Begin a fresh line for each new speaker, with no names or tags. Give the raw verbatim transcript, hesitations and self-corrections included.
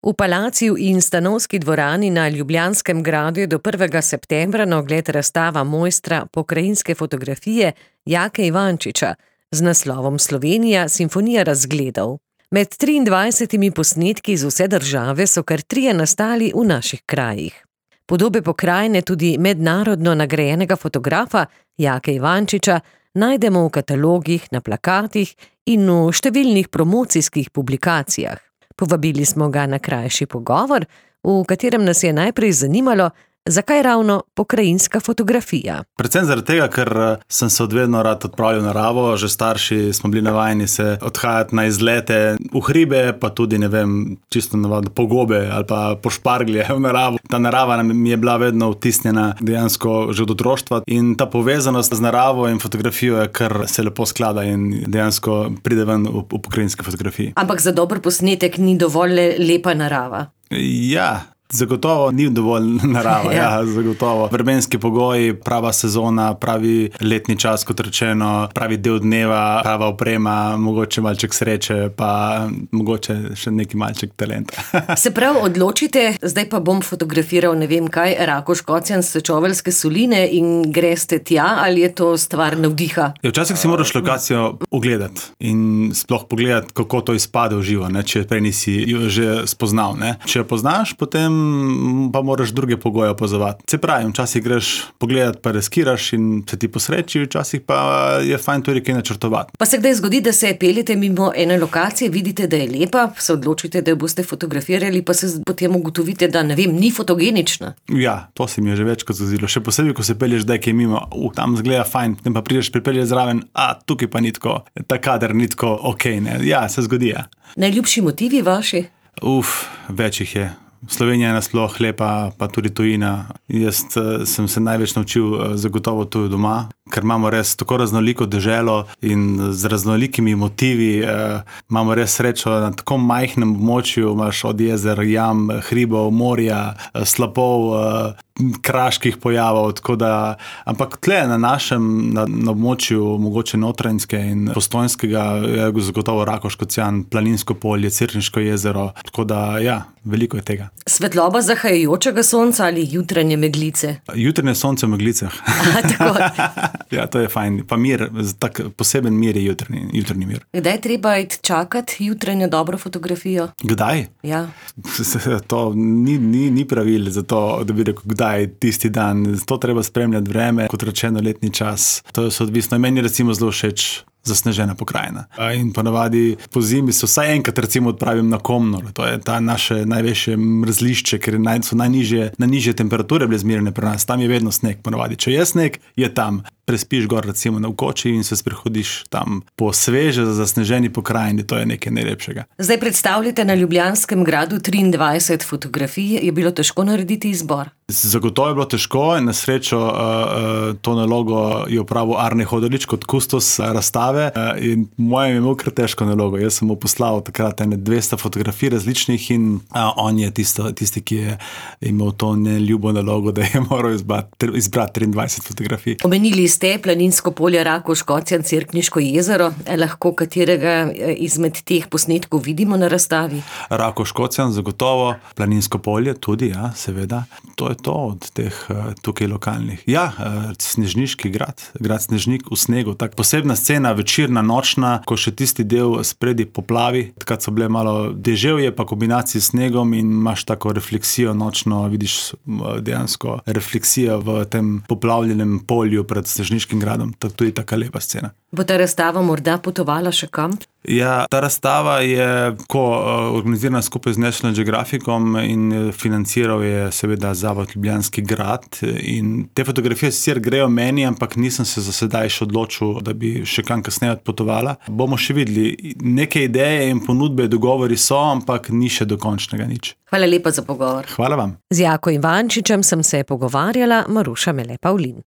V palaciju in stanovski dvorani na Ljubljanskem gradu je do prvega septembra na ogled razstava mojstra pokrajinske fotografije Jake Ivančiča z naslovom Slovenija simfonija razgledov. Med triindvajsetimi posnetki iz vse države so kar trije nastali v naših krajih. Podobe pokrajine tudi mednarodno nagrajenega fotografa Jake Ivančiča najdemo v katalogih, na plakatih in v številnih promocijskih publikacijah. Povabili smo ga na krajši pogovor, v katerem nas je najprej zanimalo, zakaj ravno pokrajinska fotografija.
Predvsem zaradi tega, ker sem se odvedno rad odpravljal v naravo, že starši smo bili navajeni se odhajati na izlete v hribe, pa tudi, ne vem, čisto navadno po gobe ali pa po šparglje v naravo. Ta narava mi je bila vedno vtisnjena dejansko že od otroštva in ta povezanost z naravo in fotografijo je kar se lepo sklada in dejansko pride ven v, v pokrajinski fotografiji.
Ampak za dober posnetek ni dovolj le lepa narava.
Ja. Zagotovo ni dovolj narava, ja. ja, zagotovo. Vremenski pogoji, prava sezona, pravi letni čas, kot rečeno, pravi del dneva, prava oprema, mogoče malček sreče, pa mogoče še neki malček talenta.
Se prav odločite, zdaj pa bom fotografiral ne vem kaj, Rakoš-Kocjan, Sečoveljske soline in greste tja, ali je to stvar navdiha?
Ja, včasih si moraš lokacijo ogledati in sploh pogledati, kako to izpade v živo, ne, če prej nisi jo že spoznal. Ne. Če jo poznaš, potem pa moraš druge pogoje opazovati. Se pravi, včasih greš pogledati, pa riskiraš in se ti posreči, včasih pa je fajn tudi kaj načrtovati.
Pa se kdaj zgodi, da se peljete mimo ene lokacije, vidite, da je lepa, se odločite, da jo boste fotografirali, pa se potem ugotovite, da ne vem, ni fotogenična.
Ja, to se mi je že večkrat zgodilo. Še posebej, ko se pelješ zdaj kaj mimo, uh, tam zgleda fajn, potem pa prideš pripeljati zraven, a tukaj pa ni tako, ta kader ni tako okej, ne. Ja, se zgodi, ja.
Najljubši motivi vaši?
Uf, več jih je. Slovenija je nasploh lepa, pa tudi tujina. Jaz uh, sem se največ naučil uh, zagotovo tuj doma, ker imamo res tako raznoliko deželo in z raznolikimi motivi uh, imamo res srečo na tako majhnem območju, imaš od jezer, jam, hribov, morja, uh, slapov, uh, kraških pojavov, tako da, ampak tle na našem, na, na območju mogoče Notranjske in Postojnskega je zagotovo Rakoš-Kocjan, Planinsko polje, Cerkniško jezero, tako da ja, veliko je tega.
Svetloba zahajajočega sonca ali jutranje meglice?
Jutranje sonce v meglicah.
A, tako.
Ja, to je fajn. Pa mir, tak poseben mir je jutrni, jutrni mir.
Kdaj treba iti čakati jutranjo dobro fotografijo?
Kdaj?
Ja.
To ni, ni, ni pravil za to, da bi rekel, kdaj tisti dan. To treba spremljati vreme, kot rečeno letni čas. To je odvisno. Meni recimo zelo všeč zasnežena pokrajina. In ponavadi po zimi se vsaj enkrat recimo odpravim na Komnor. To je ta naše največje mrzlišče, ker so najnižje, najnižje temperature bile zmerjene pri nas. Tam je vedno sneg. Ponavadi, če je sneg, je tam. Prespiš gor recimo na Vkoči in se sprehodiš tam po sveže zasneženi pokrajini. To je nekaj najlepšega.
Zdaj predstavljate na Ljubljanskem gradu triindvajset fotografij. Je bilo težko narediti izbor?
Zagotovo je bilo težko in na srečo uh, uh, to nalogo je opravil Arne Hodolič kot kustos razstave uh, in mojem je imel kar težko nalogo. Jaz sem mu poslal takrat ene dvesto fotografij različnih in uh, on je tisto, tisti, ki je imel to neljubo nalogo, da je moral izbrati, izbrati triindvajset fotografij.
Omenili ste Planinsko polje, Rakoš-Kocjan, Cerkniško jezero. Lahko katerega izmed teh posnetkov vidimo na razstavi?
Rakoš-Kocjan zagotovo, Planinsko polje tudi, ja, seveda. To je to od teh tukaj lokalnih. Ja, Snežniški grad, grad Snežnik v snegu, tak posebna scena, večerna, nočna, ko še tisti del spredi poplavi, takrat so bile malo deževje, pa kombinacije s snegom in imaš tako refleksijo nočno, vidiš dejansko refleksijo v tem poplavljenem polju pred Snežniškim gradom, tako tudi taka lepa scena.
Bo ta razstava morda potovala še kam?
Ja, ta razstava je ko organizirana skupaj z National Geographicom in financiral je seveda Zavod Ljubljanski grad in te fotografije sicer grejo meni, ampak nisem se za sedaj še odločil, da bi še kam kasneje odpotovala. Bomo še videli. Neke ideje in ponudbe, dogovori so, ampak ni še dokončnega nič.
Hvala lepa za pogovor.
Hvala vam.
Z Jako Ivančičem sem se pogovarjala, Maruša Mele Pavlin.